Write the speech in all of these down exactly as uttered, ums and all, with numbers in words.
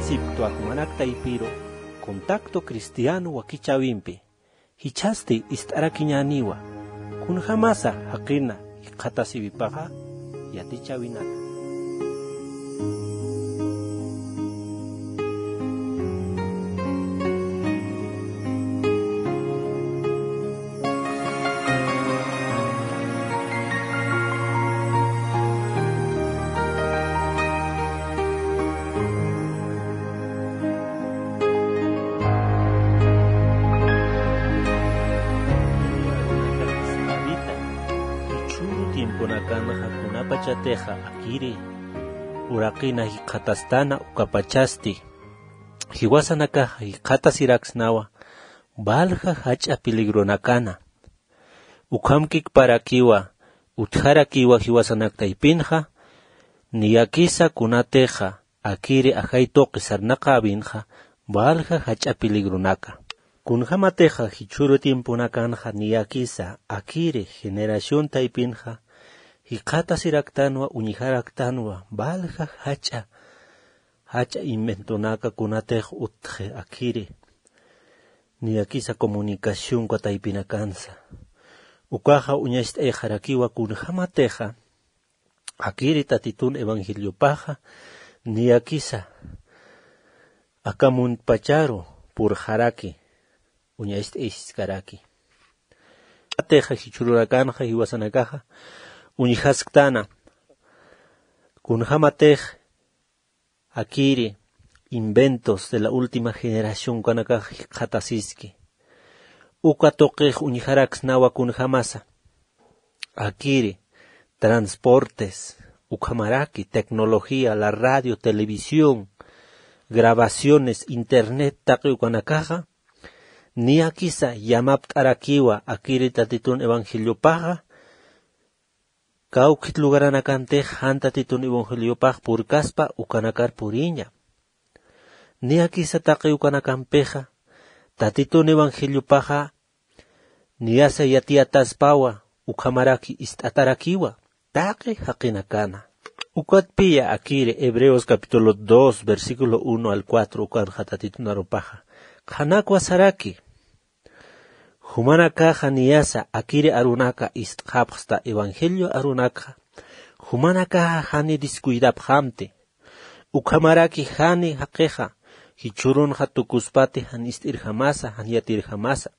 Siptwa jumanak taypiru, Contacto Cristiano wakichäwimpi jichhasti ist'arakiñäniwa, kunjamasa jaqina jikxatasiwipaxa yatichäwinaka. Jichhüru tiemponakanxa kunapachatixa akiri uraqina jikxatastana ukapachasti jiwasanakaxa jikxatasiraksnawa, valja jach'a peligronakanxa. Ukhamkikparakiwa, utjarakiwa jiwasanak taypinxa, niyakisa kunatixa akiri ajay tuqi sarnaqäwinxa, valja jach'a peligronaka. Kunjamatixa jichhüru tiemponakanxa niyakisa akiri generación taypinxa jikxatasiraktänwa, uñjaraktanwa, valja jach'a, jach'a inventonaka kunatix utji akiri. Niyakisa comunicación uka taypinakansa. Ukaxa uñacht'ayxarakiwa kunjamatixa akiri Tatitun evangeliopaxa niyakisa aka muntpacharu purxaraki, uñacht'ayiskaraki. Atixa jichhürunakanxa jiwasanakaxa uñjasktana, kunjamatix akiri inventos de la última generación ukanakax jikxatasiski. Uka tuqix uñjaraksnawa kunjamasa. Akiri transportes, ukhamaraki tecnología, la radio, televisión, grabaciones, internet taqi ukanakaxa, niyakisa yamapt'arakiwa akiri Tatitun evangeliopaxa, kawkit lugaranakantix jan Tatitun evangeliopax purkaspa ukanakar puriña. Niyakisa taqi ukanakampix Tatitun evangeliopaxa niyasa yatiyataspawa, ukhamaraki ist'atarakiwa taqi jaqinakana. Ukatpiya akiri Hebreos capítulo dos, versículo uno al cuatro ukanxa Tatitun arupaxa qhanakwa saraki. Jumanakaxa niyasa akiri arunaka ist'xapxsta evangelio arunakxa, jumanakaxa jani descuidapxamti. Ukhamaraki jani jaqixa jichhürunxa tukuspati jan ist'irjamasa, jan yatirjamasa,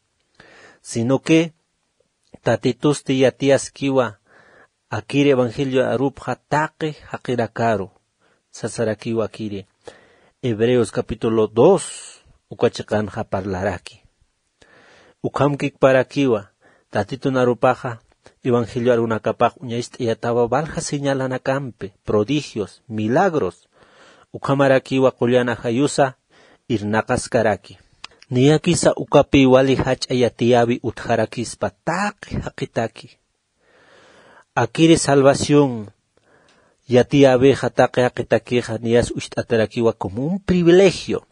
sino que Tatitusti yatiyaskiwa akiri evangelio arupxa taqi jaqinakaru, sasarakiwa akiri Hebreos capítulo dos uka chiqanxa parlaraki. Ukhamkikparakiwa Tatitun arupaxa evangelio arunakapax uñacht'ayatawa valja señalanakampi, prodigios, milagros, ukhamarakiwa qullan ajayusa irnaqaskaraki. Niyakisa ukapi wali jach'a yatiyäwi utjarakispa taqi jaqitaki. Akiri salvación yatiyäwixa taqi jaqitakixa niyas ucht'atarakiwa como un privilegio.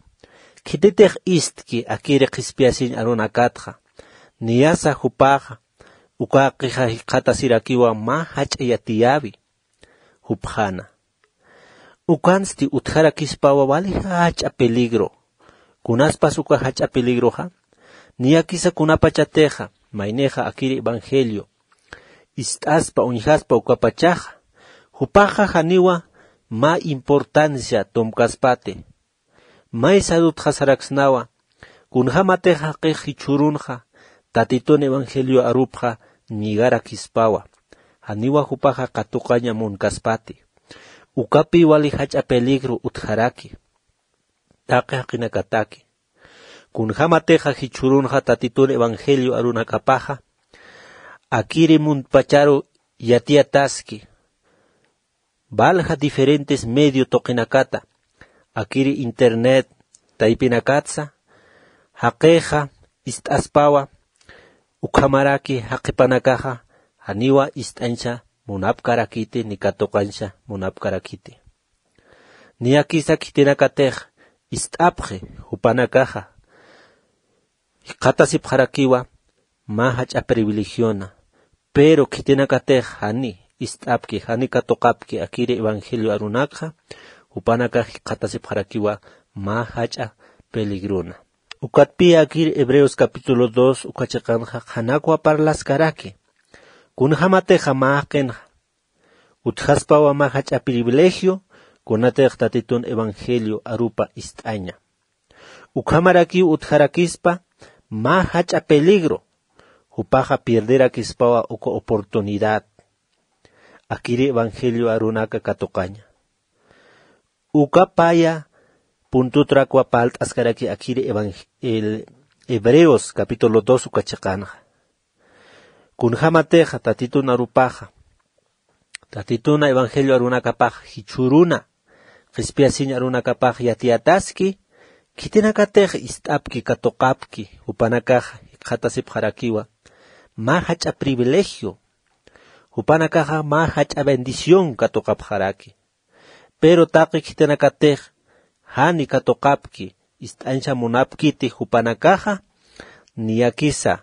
Khititix ist'ki akiri qhispiyasiñ arunakatxa, niyasa jupaxa ukaqixa jikxatasirakiwa mä jach'a yatiyäwi jupxana. Ukansti utjarakispawa wali jach'a peligro. Kunaspas uka jach'a peligroxa, niyakisa kunapachatixa maynixa akiri evangelio ist'aspa uñjaspa ukapachaxa, jupaxa janiwa mä importancia tumkaspati. Maysa utjasaraksnawa, kunjamatix jaqix jichhürunxa Tatitun evangelio arupxa ñigarakispawa, janiwa jupaxa katuqaña munkaspati. Ukapi wali jach'a peligro utjaraki taqi jaqinakataki. Kunjamatixa jichhürunxa Tatitun evangelio arunakapaxa akiri muntpacharu yatiyataski, valja diferentes medio tuqinakata, akiri internet taypinakatsa, jaqixa ist'aspawa, ukhamaraki jaqipanakaxa janiwa ist'añsa munapkarakiti ni katuqañsa munapkarakiti. Niyakisa khitinakatix ist'apxi jupanakaxa jikxatasipxarakiwa mä jach'a privilegiona. Pero khitinakatix jani ist'apki, jani katuqapki akiri evangelio arunakxa, jupanakax jikxatasipxarakiwa mä jach'a peligrona. Ukatpï akir Hebreos capítulo dos uka chiqanxa qhanakwa parlaskaraki. Kunjamatixa mä jaqinxa utjaspawa mä jach'a privilegio, kunatix Tatitun evangelio arupa ist'aña. Ukhamarakiw utjarakispa mä jach'a peligro, jupaxa pierderakispawa uka oportunidad akiri evangelio arunaka katuqaña. Uka paya puntutrakwa parlt'askaraki akiri evang-, el Hebreos capítulo dos uka chiqanxa. Kunjamatixa Tatitun arupaxa, Tatituna evangelio arunakapax jichhüruna, qhispiyasiñ arunakapax yatiyataski, khitinakatix ist'apki katuqapki, jupanakaxa jikxatasipxarakiwa mä jach'a privilegio, jupanakaxa mä jach'a bendición katuqapxaraki. Pero taqi khitinakatix jani katuqapki, ist'añsa munapkiti jupanakaxa, niyakisa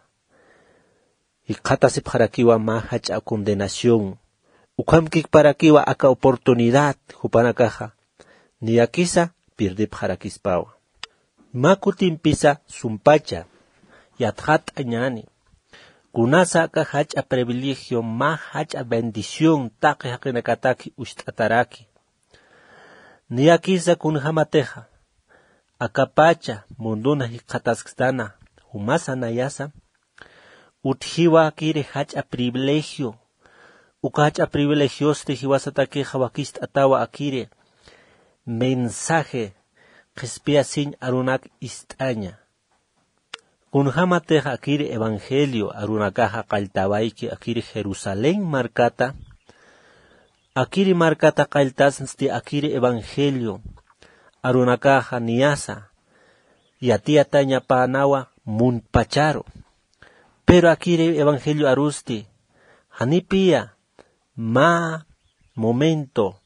jikxatasipxarakiwa mä jach'a condenación. Ukhamkikparakiwa aka oportunidad jupanakaxa, niyakisa pirdipxarakispawa. Mä kutimpisa sumpacha yatxat'añäni. Kunasa aka jach'a privilegio, mä jach'a bendición taqi jaqinakataki ucht'ataraki. Niyakisa kunjamatixa, akapacha munduna jikxataskstana, jumasa nayasa, utjiwa akiri jach'a privilegio. Uka jach'a privilegiosti jiwasatakixa wakist'atawa akiri mensaje qhispiyasiñ arunak ist'aña. Kunjamatixa akiri evangelio arunakaxa qalltawayki akiri Jerusalén markata, akiri markata qalltasnsti akiri evangelio arunakaxa niyasa yatiyatañapänawa muntpacharu. Pero akiri evangelio arusti, janipiya mä momento,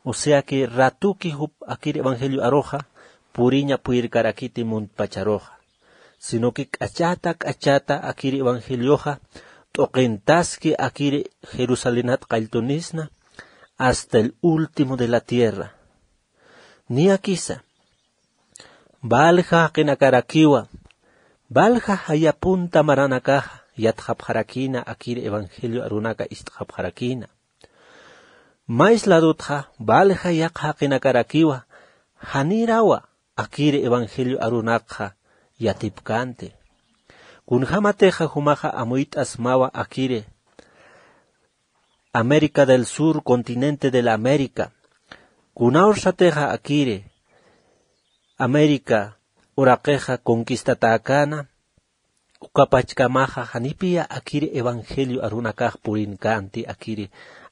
o sea que ratuki jup akir evangelio aruxa puriña puyirkarakiti muntpacharuxa, sino que k'achata k'achata akir evangelioxa t'uqintaski akir Jerusalenat qalltunisna hasta el último de la tierra. Niyakisa, valja jaqinakarakiwa, valja jaya punta maranakaxa yatxapxarakïna, akir evangelio arunaka ist'xapxarakïna. Mä isladutxa valja yaqha jaqinakarakiwa, janirawa akir evangelio arunakxa yatipkänti. Kunjamatixa jumaxa amuyt'asmawa akiri América del Sur, continente de la América. Kuna ursatixa akiri América uraqixa conquistatäkäna, ukapachkamaxa janipiya akiri evangelio arunakax purinkänti akiri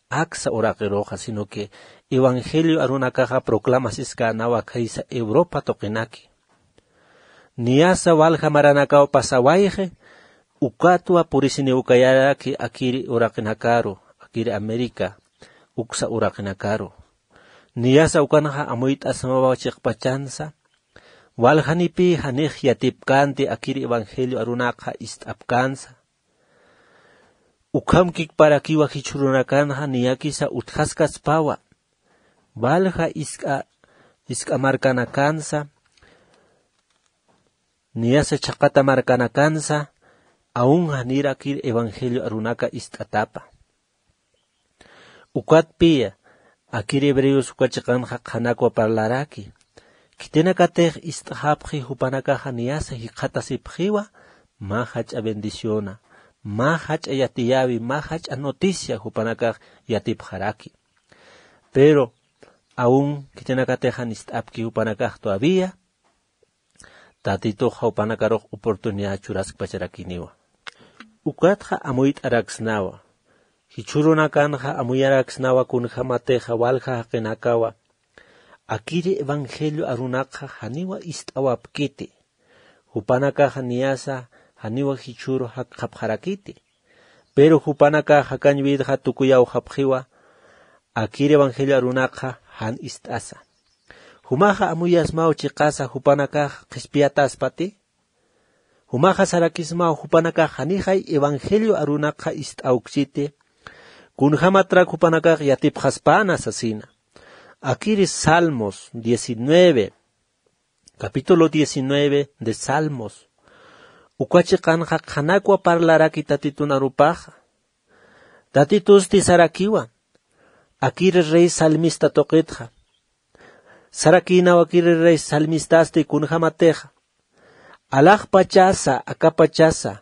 aksa uraqiruxa, sino que evangelio arunakaxa proclamasiskänawa khaysa Europa tuqinaki. Niyasa walja maranakaw pasawayxi, ukatwa purisiniw kayaraki akiri uraqinakaru, akiri América uksa uraqinakaru. Niyasa ukanxa amuyt'asmawa chiqpachansa, waljanipï janix yatipkänti akiri evangelio arunakxa ist'apkänsa. Ukhamkikparakiwa jichhürunakanxa niyakisa utjaskaspawa, valja isk'a, isk'a markanakansa, niyasa chhaqata markanakansa, aun janir akir evangelio arunaka ist'atapa. Ukatpiya, akir Hebreos uka chiqanxa qhanakwa parlaraki. Khitinakatix ist'xapxi jupanakaxa niyasa jikxatasipxiwa, mä jach'a bendiciona, mä jach'a yatiyäwi, mä jach'a noticia jupanakax yatipxaraki. Pero aun khitinakatix jan ist'apki jupanakax todavía, Tatitux jawpanakarux oportunidad churaskpacharakiniwa. Ukatxa amuyt'araksnawa. Jichhürunakanxa amuyaraksnawa kunjämatixa walja jaqinakawa akiri evangelio arunakxa janiwa ist'awapkiti. Jupanakaxa niyasa janiwa jichhüru jakxapxarakiti. Pero jupanakax jakañ witxa tukuyawxapxiwa, akir evangelio arunakxa jan ist'asa. Jumaxa amuyasmaw chiqasa jupanakax qhispiyataspati. Jumaxa sarakismaw jupanakax janixay evangelio arunakxa ist'awksiti. Kunjämatrak jupanakax yatipxaspäna sasina. Akiri Salmos diecinueve, Capítulo diecinueve de Salmos. Uka chiqanxa qhanakwa parlaraki Tatitun arupaxa. Tatitusti sarakiwa, akiri rey salmista tuqitxa. Sarakïnaw akiri rey salmistasti kunjämatixa alaxpachasa, akapachasa,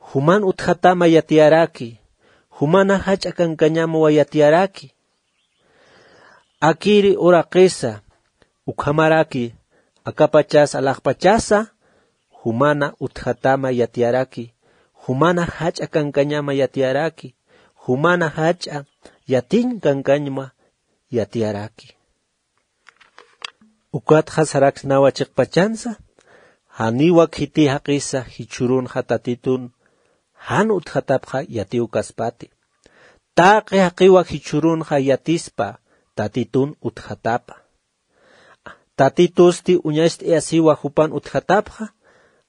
juman utjatama yatiyaraki, jumana jach'a kankañamwa yatiyaraki. Akiri uraqisa, ukhamaraki, akapachasa, alaxpachasa, jumana utjatama yatiyaraki, jumana jach'a kankañama yatiyaraki, jumana jach'a yatiñ kankañma yatiyaraki. Ukatxa saraksnawa chiqpachansa, janiwa khiti jaqisa jichhürunxa Tatitun jan utjatapxa yatiw kaspati. Taqi jaqiwa jichhürunxa yatispa Tatitun utjatapa. Tatitusti uñacht'ayasiwa jupan utjatapxa,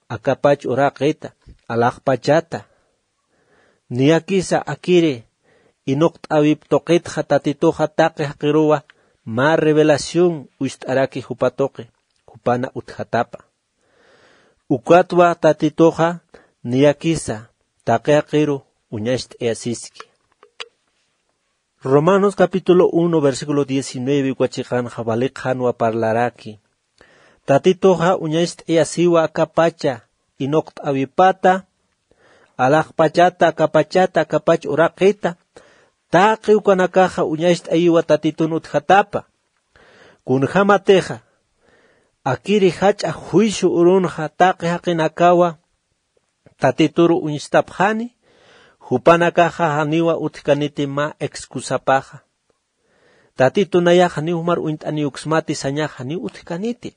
akapach uraqita, alaxpachata. Niyakisa akiri inuqt'äwip tuqitxa Tatituxa taqi jaqiruwa mä revelación uñst'araki jupa tuqi, jupana utjatapa. Ukatwa Tatituxa niyakisa taqi jaqiru uñacht'ayasiski. Romanos capítulo uno, versículo diecinueve, uka chiqanxa wali qhanwa parlaraki. Tatituxa uñacht'ayasiwa akapacha inuqt'äwipata, alaxpachata, akapachata, akapach uraqita, taqi ukanakaxa uñacht'ayiwa Tatitun utjatapa. Kunjämatixa, akiri jach'a juicio urunxa taqi jaqinakawa Tatituru uñstapxani, jupanakaxa janiwa utjkaniti mä excusapaxa. Tatitu nayax janiw jumar uñt'aniw uksmati sañax janiw utjkaniti.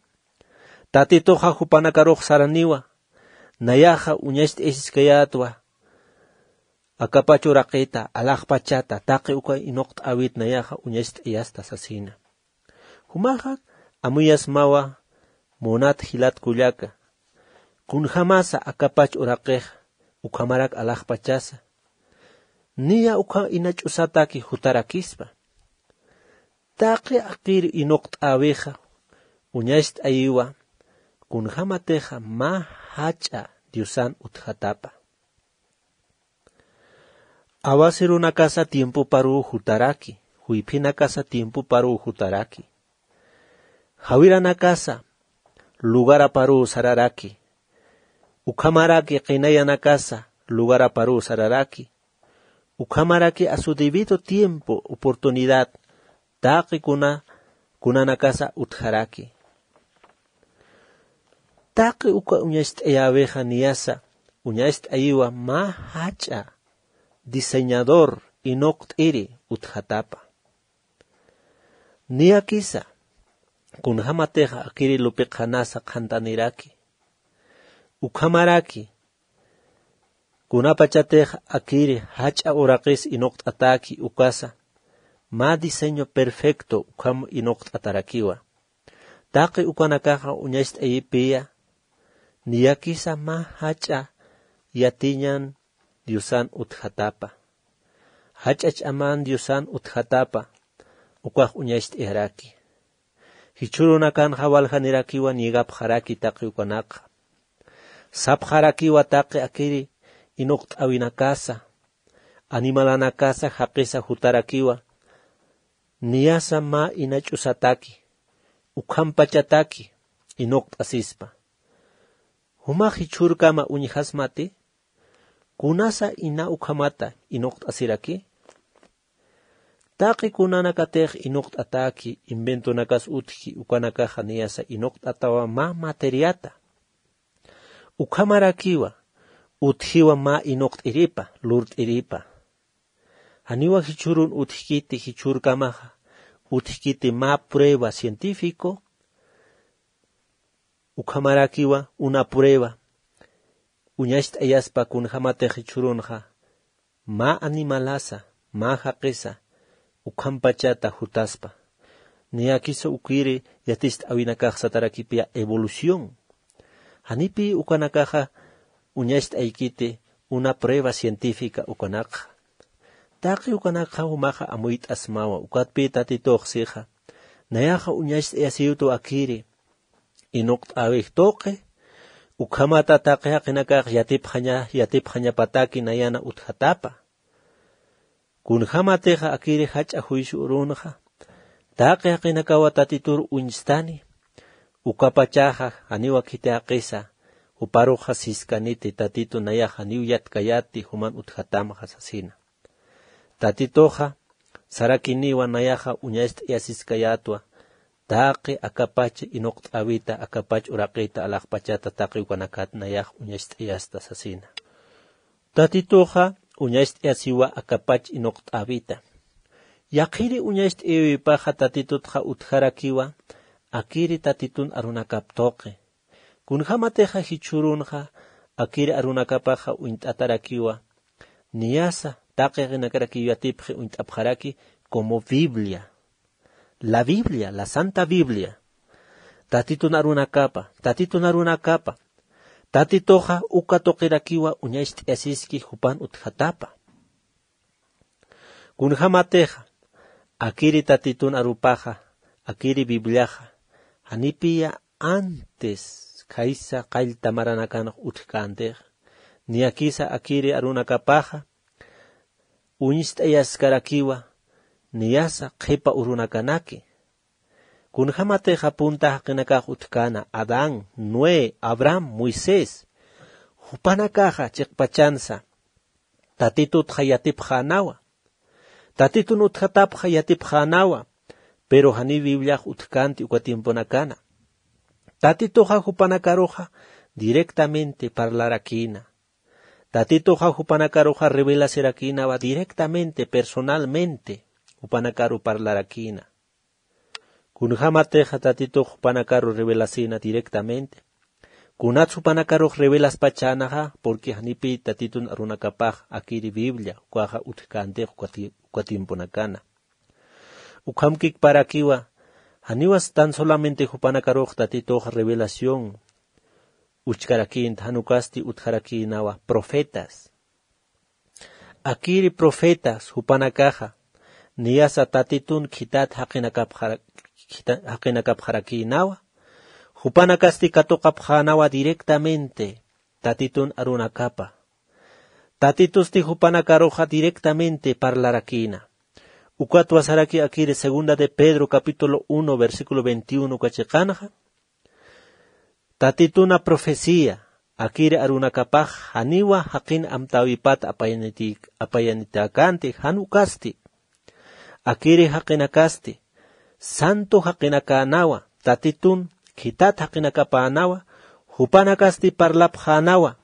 Tatituxa jupanakarux saraniwa, nayaxa uñacht'ayasiskayätwa, akapach uraqita, alaxpachata, taqi uka inuqt'äwit nayaxa uñacht'ayasta sasina. Jumaxa amuyasmawa munat jilat kullaka. Kunjämasa akapach uraqix ukhamarak alaxpachasa. Niya ukha ina ch'usataki jutarakispa. Taqi akir inuqt'äwixa uñacht'ayiwa kunjämatixa mä jach'a Diosan utjatapa. Awasirunakasa tiempoparuw jutaraki, juyphinakasa tiempoparuw jutaraki. Jawiranakasa lugaraparuw sararaki. Ukhamaraki qinayanakasa lugaraparuw sararaki. Ukhamaraki a su debido tiempo, oportunidad, taqi kuna, kunanakasa utjaraki. Taqi uka uñacht'ayäwixa niyasa, uñacht'ayiwa mä jach'a diseñador inuqt'iri utjatapa. Niyakisa, kunjämatixa akiri lupi qhanasa qhantaniraki. Ukhamaraki, kunapachatix akiri jach'a uraqis inuqt'ataki ukasa, mä diseño perfecto ukham inuqt'atarakiwa. Taqi ukanakaxa uñacht'ayipiya, niyakisa mä jach'a yatiñan Diosan utjatapa. Jach'a ch'aman Diosan utjatapa, ukax uñacht'ayaraki. Jichhürunakanxa waljanirakiwa niegapxaraki taqi ukanakxa. Sapxarakiwa taqi akiri inuqt'äwinakasa, animalanakasa jaqisa jutarakiwa, niyasa mä ina ch'usataki, ukhampachataki inuqt'asispa. Jumax jichhürkama uñjasmati, kunasa ina ukhamata inuqt'asiraki. Taqi kunanakatix inuqt'ataki, inventonakas utji, ukanakaxa niyasa inuqt'atawa mä materiata. Ukhamarakiwa, utjiwa mä inuqt'iripa, lurt'iripa. Janiwa jichhürun utjkiti, jichhürkamaxa utjkiti mä prueba científico, ukhamarakiwa una prueba, uñacht'ayaspa kunjämatix jichhürunxa, mä animalasa, mä jaqisa, ukhampachata jutaspa. Niyakisa ukiri yaticht'äwinakax satarakipiya evolución. Janipï ukanakaxa uñacht'aykiti una prueba científica ukanakxa. Taqi ukanakxa jumaxa amuyt'asmawa, ukatpï Tatitux sixa. Nayaxa uñacht'ayasiwtu akiri. inuqt'äwix tuqi, ukhamata taqi jaqinakax yatipxaña yatipxañapataki nayana utjatapa. Kunjämatixa akiri jach'a juicio urunxa, taqi jaqinakawa Tatitur uñstani, ukapachaxa janiwa khiti jaqisa, juparuxa siskaniti Tatitu nayax janiw yatkayäti juman utjatamxa sasina. Tatituxa sarakiniwa nayaxa uñacht'ayasiskayätwa, taqi akapach inuqt'äwita, akapach uraqita alaxpachata taqi ukanakat nayax uñacht'ayasta sasina. Tatituxa uñacht'ayasiwa akapach inuqt'äwita. Yaqhiri uñacht'ayawipaxa Tatitutxa utjarakiwa, akiri Tatitun arunakap tuqi. Kunjämatixa jichhürunxa akiri arunakapaxa uñt'atarakiwa, niyasa taqi jaqinakarakiw yatipxi uñt'apxaraki como Biblia. La Biblia, la Santa Biblia. Tatitun arunakapa, Tatitun arunakapa. Tatituxa uka tuqirakiwa uñacht'ayasiski jupan utjatapa. Kunjämatixa akiri Tatitun arupaxa, akiri Bibliaxa, janipiya antes khaysa qallta maranakanx utjkäntixa, niyakisa akiri arunakapaxa uñst'ayaskarakiwa, niyasa qhipa urunakanaki. Kunjämatixa punta jaqinakax utjkäna, Adán, Noé, Abraham, Moisés, jupanakaxa chiqpachansa Tatitutxa yatipxänawa. Tatitun utjatapxa yatipxänawa, pero janiw Bibliax utjkänti uka tiemponakana. Tatituxa jupanakaruxa directamente parlarakïna. Tatituxa jupanakaruxa revelasirakïnawa directamente, personalmente, jupanakaru parlarakïna. Kunjämatixa Tatitux jupanakaru revelasïna directamente. Kunats jupanakarux revelaspachänaxa, porque janipi Tatitun arunakapax akiri Biblia, ukaxa utjkäntix uka ti-, uka tiemponakana. Ukhamkikparakiwa, janiwas tan solamente jupanakarux Tatitux revelación uchkarakïnta, jan ukasti utjarakïnawa profetas. Akiri profetas jupanakaxa, niyasa Tatitun khitat jaqinakapxara-, khita-, jaqinakapxarakïnawa, jupanakasti katuqapxänawa directamente Tatitun arunakapa. Tatitusti jupanakaruxa directamente parlarakïna. Ukatwa saraki akiri segunda de Pedro capítulo uno, versículo veintiuno uka chiqanxa, Tatituna profecía, akiri arunakapax janiwa jaqin amtäwipat apayaniti-, apayanitäkänti, jan ukasti. Akiri jaqinakasti, santo jaqinakänwa, Tatitun khitat jaqinakapänawa, jupanakasti parlapxänawa,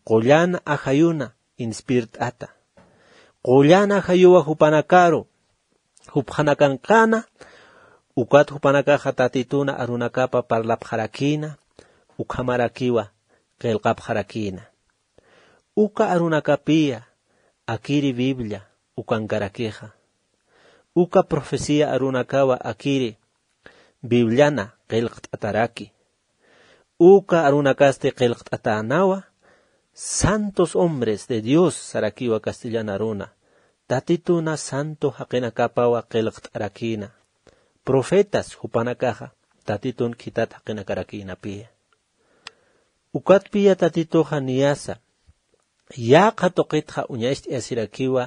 qullan ajayuna inspirt'ata. Qullan ajayuwa jupanakaru, jupxanakankana, ukat jupanakaxa Tatituna arunakapa parlapxarakïna, ukhamarakiwa qillqapxarakïna. Uka arunakapiya akiri Biblia ukankarakixa. Uka profecía arunakawa akiri Bibliana qillqt'ataraki. Uka arunakasti qillqt'atänawa, santos hombres de Dios sarakiwa castellan aruna. Tatituna santo jaqinakapawa qillqt'arakïna. Profetas jupanakaxa Tatitun khitat jaqinakarakïnapiya. Ukatpiya Tatituxa niyasa yaqha tuqitxa uñacht'ayasirakiwa,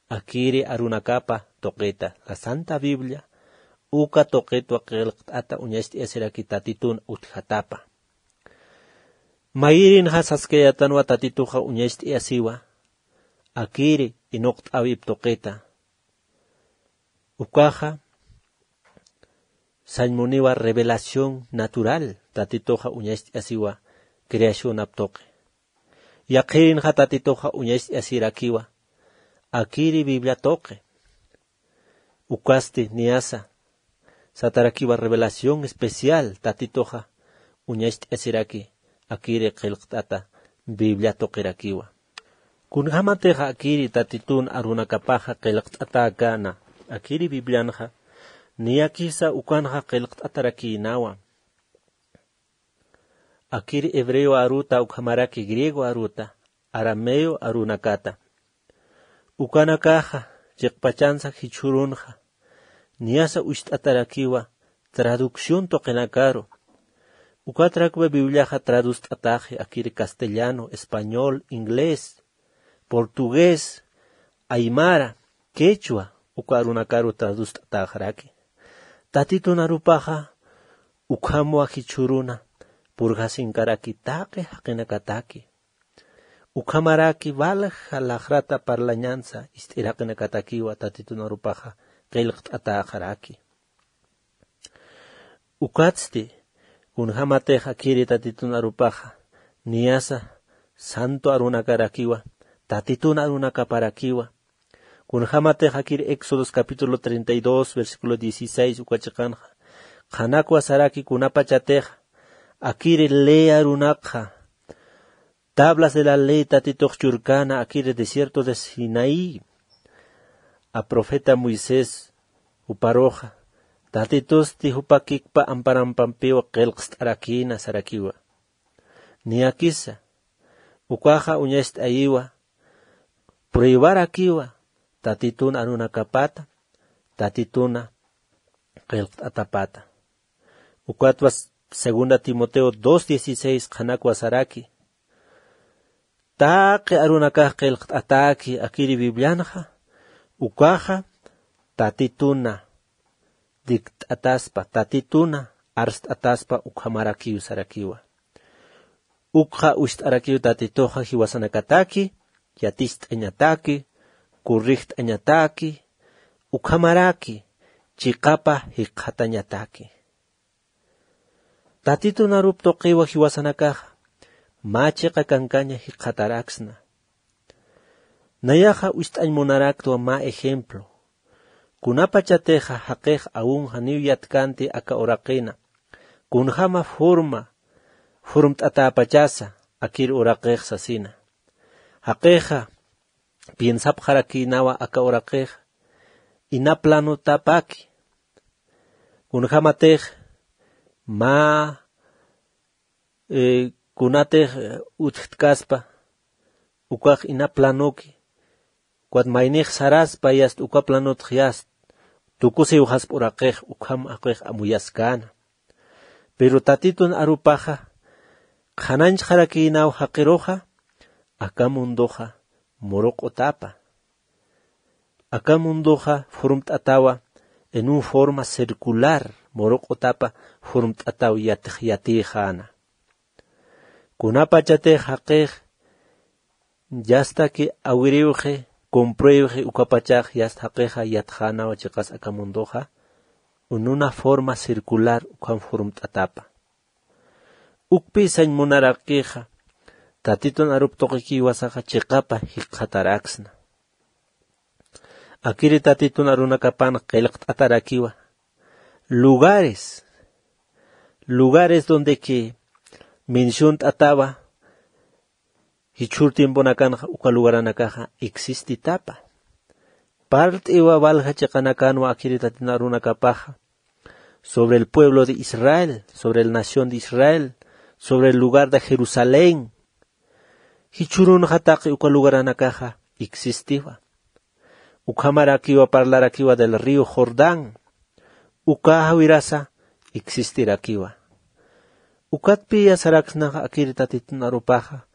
akiri arunakapa tuqita, la Santa Biblia, uka tuqitwa qillqt'ata uñacht'ayasiraki Tatitun utjatapa. Mayirinxa saskayätanwa Tatituxa uñacht'ayasiwa, akiri inuqt'äwip tuqita. Ukaxa sañmuniwa revelación natural, Tatituxa uñacht'ayasiwa creacionap tuqi. Yaqhirinxa Tatituxa uñacht'ayasirakiwa akiri Biblia tuqi. Ukasti niyasa satarakiwa revelación especial, Tatituxa uñacht'ayasiraki akiri qillqt'ata Biblia tuqirakiwa. Kunjämatixa akiri Tatitun arunakapaxa qillqt'atäkäna akiri Biblianxa, niyakisa ukanxa qillqt'atarakïnawa. Akiri hebreo aruta ukhamaraki griego aruta, arameo arunakata. Ukanakaxa chiqpachansa jichhürunxa, niyasa ucht'atarakiwa traducción tuqinakaru, Ukatrakwa Bibliaxa tradust'ataxi akiri castellano, español, inglés, portugués, aymara, quechua, uka arunakaru tradust'ataxaraki. Tatitun arupaxa ukhamwa jichhüruna purjasinkaraki taqi jaqinakataki. Ukhamaraki valja lajrata parlañansa ist'ir jaqinakatakiwa Tatitun arupaxa qillqt'atäxaraki. Ukatsti, kunjämatix akiri Tatitun arupaxa, niyasa santo arunakarakiwa, Tatitun arunakaparakiwa. Kunjämatix akiri Éxodos capítulo treinta y dos, versículo dieciséis, uka chiqanxa, qhanakwa saraki kunapachatix akiri ley arunakxa, tablas de la ley Tatitux churkana akiri desierto de Sinaí, a profeta Moisés juparuxa, Tatitusti jupa kikpa amparampampiwa qillqst'arakïna sarakiwa. Niyakisa, ukaxa uñacht'ayiwa, pruebarakiwa, Tatitun arunakapata, Tatituna qillqt'atapata. Ukatwa segunda Timoteo dos dieciséis qhanakwa saraki. Taqi arunakax qillqt'atäki akiri Biblianxa, ukaxa Tatituna dikt'ataspa, Tatituna arst'ataspa ukhamarakiw sarakiwa. Ukxa ucht'arakiw Tatituxa jiwasanakataki, yaticht'añataki, corregt'añataki, ukhamaraki chiqapa jikxatañataki. Tatitun arup tuqiwa jiwasanakaxa, mä chiqa kankaña jikxataraksna. Nayaxa ucht'añ munaraktwa mä ejemplo. Kunapachatixa jaqix aun janiw yatkanti aka uraqina, kunjäma forma, formt'atäpachasa akir uraqix sasina. Jaqixa piensapxarakïnawa aka uraqix ina planotapaki. Kunjämatix mä, eh, kunatix, eh, utjtkaspa, ukax ina planoki, ukat maynix saraspa yast uka planotx yast, tukusiwxaspa uraqix, ukham jaqix amuyaskäna. Pero Tatitun arupaxa, qhanañchxarakïnaw jaqiruxa, aka mundoxa muruq'utapa. Aka mundoxa formt'atawa en un forma circular, muruq'utapa formt'ataw yatix yatïxäna. Kunapachatix jaqix yastaki awiriwxi, compruebxi, ukapachax yast jaqixa yatxänawa chiqas aka mundoxa, en una forma circular ukham formt'atapa. Ukpi sañ munarakixa, Tatitun arup tuqiki jiwasaxa chiqapa jikxataraksna. Akiri Tatitun arunakapan qillqt'atarakiwa. Lugares, lugares donde que menciont'atawa, jichhür tiemponakanxa uka lugaranakaxa existitapa. Parlt'iwa walja chiqanakanwa akiri Tatitun arunakapaxa, sobre el pueblo de Israel, sobre el nación de Israel, sobre el lugar de Jerusalén. Jichhürunxa taqi uka lugaranakaxa existiwa. Ukhamarakiwa parlarakiwa del río Jordán. Uka jawirasa existirakiwa. Ukatpiya saraksnaxa akiri Tatitun arupaxa,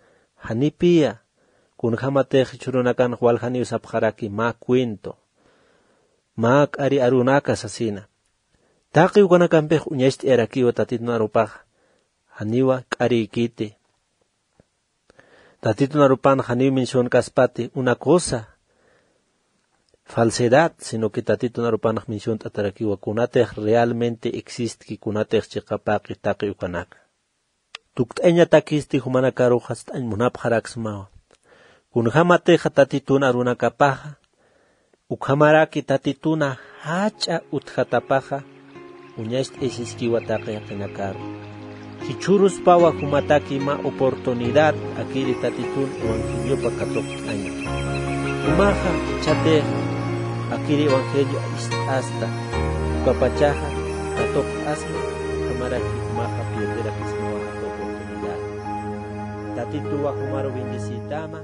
janipiya, kunjämatix jichhürunakanx waljaniw sapxaraki mä cuento, mä k'ari arunaka sasina. Taqi ukanakampix uñacht'ayarakiwa Tatitun arupaxa, janiwa k'arïkiti. Tatitun arupan janiw mencionkaspati una cosa, falsedad, sino que Tatitun arupanx menciont'atarakiwa kunatix realmente existki, kunatix chiqapaqi taqi ukanaka. Tukt'añatakisti jumanakaruxa ist'añ munapxaraksmawa. Kunjämatixa Tatitun arunakapaxa, ukhamaraki Tatituna jach'a utjatapaxa, uñacht'ayasiskiwa taqi jaqinakaru. Jichhüruspawa jumataki mä oportunidad akiri Tatitun evangeliopa katuqt'aña. Jumaxa jichhatixa akiri evangelio ist'asta, ukapachaxa katuqt'asma, ukhamaraki jumaxa pierderakismawa aka oportunidad. Tatituwa jumaru bendecitama.